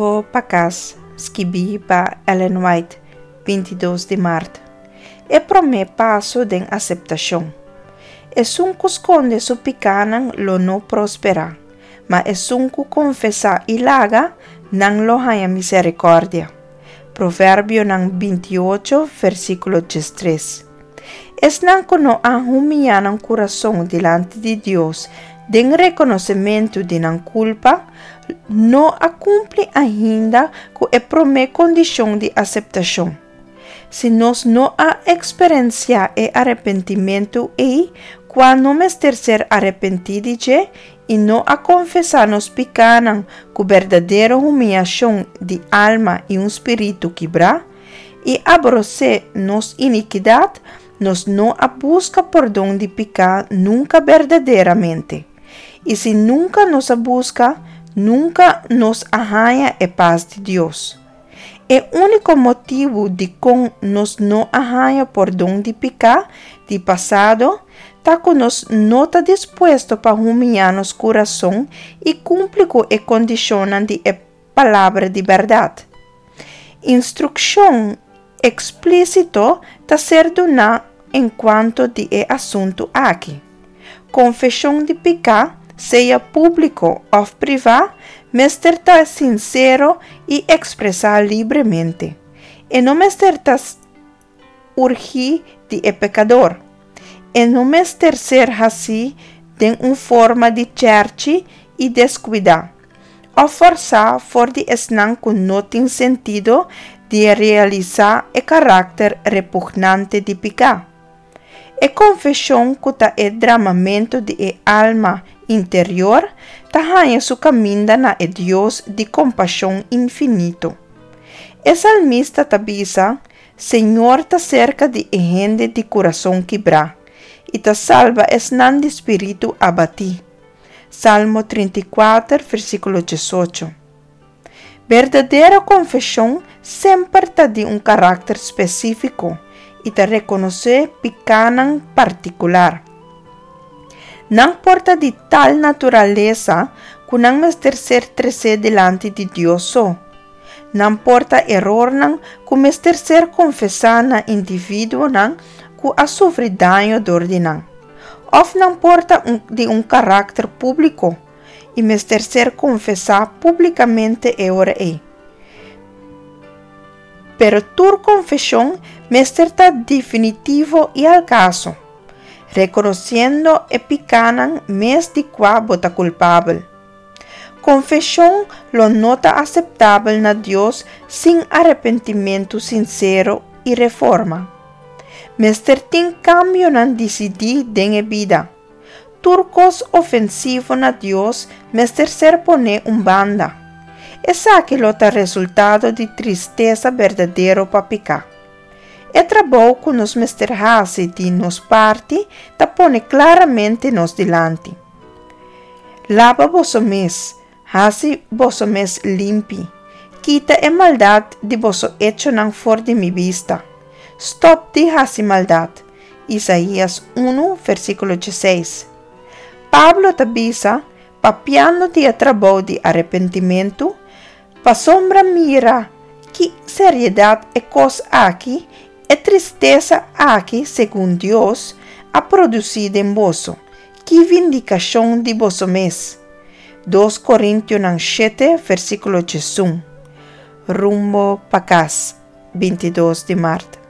Rumbo pa Kas, skibí pa Ellen White, 22 di mart. E promé paso den aseptashon. Esun ku skonde su pikánan lo no prosperá, ma esun ku konfesá i laga nan lo haña miserikòrdia. Proverbionan 28, versíkulo 13. Esnan ku no a humiá nan kurason dilanti di Dios den rekonosementu di nan kulpa, no a kumpli ainda ku e promé kondishon di aseptashon. Si nos no a eksperensiá e arepentimentu ei, kua no mester ser arepentí di dje, i no a konfesá nos pikánan ku berdadero humiashon di alma i un spiritu kibrá, i aborosé nos inikidat, nos no a buska pordon di piká nunka berdaderamente. I si nunka nos a buska, nunka nos a haña e pas di Dios. E úniko motibu dikon nos no a haña pordon di piká di pasado ta ku nos no ta dispuesto pa humiá nos kurason i kumpli ku e kondishonnan di e Palabra di bèrdat. Instrukshon eksplísito ta ser duná enkuanto di e asuntu aki. Konfeshon di piká, sea públiko òf privá, mester ta sinsero i ekspresá libremente. E no mester ta urgí di e pekador. E no mester ser hasí den un forma di chèrchi i deskuidá, òf fòrsá for di esnan ku no tin sentido di realisá e karakter repugnante di piká. E konfeshon ku ta e dramamentu di e alma interior ta haña su kaminda na e Dios di kompashon infinito. E salmista ta bisa, Señor ta serka di e hende di kurason kibrá, i ta salba esnan di spiritu abatí. Salmo 34, versíkulo 18. Berdadero konfeshon semper ta di un karakter spesífiko i ta rekonosé pikánan partikular. Nan por ta di tal naturalesa ku nan mester ser tresé dilanti di Dios so. Nan por ta erornan ku mester ser konfesá na individuonan ku a sufri daño dor di nan. Òf nan por ta di un karakter públiko i mester ser konfesá públikamente e ora ei. Pero tur konfeshon mester ta definitivo i al kaso, rekonosiendo e pikánan mes di kua bo ta kulpabel. Konfeshon lo no ta aseptabel na Dios sin arepentimentu sinsero i reforma. Mester tin kambionan disidí den e bida. Tur kos ofensivo na Dios mester ser poné un banda. Esaki lo ta resultado di tristesa berdadero pa piká. E trabou ku nos mester hasi di nos parti ta pone klaramente nos dilanti. Laba boso mes, hasi boso mes limpi. Kita e maldat di boso echonan for di mi bista. Stòp di hasi maldat. Isaías 1, versíkulo 16. Pablo ta bisa, papiando di e trabou di arepentimentu, Pasobra mira ki seriedat e kos aki, e tristesa aki segun Dios, a produsí den boso. Ki vindikashon di boso mes! Dos Korintionan shete, versíkulo 11. Rumbo pa kas, 22 di mart.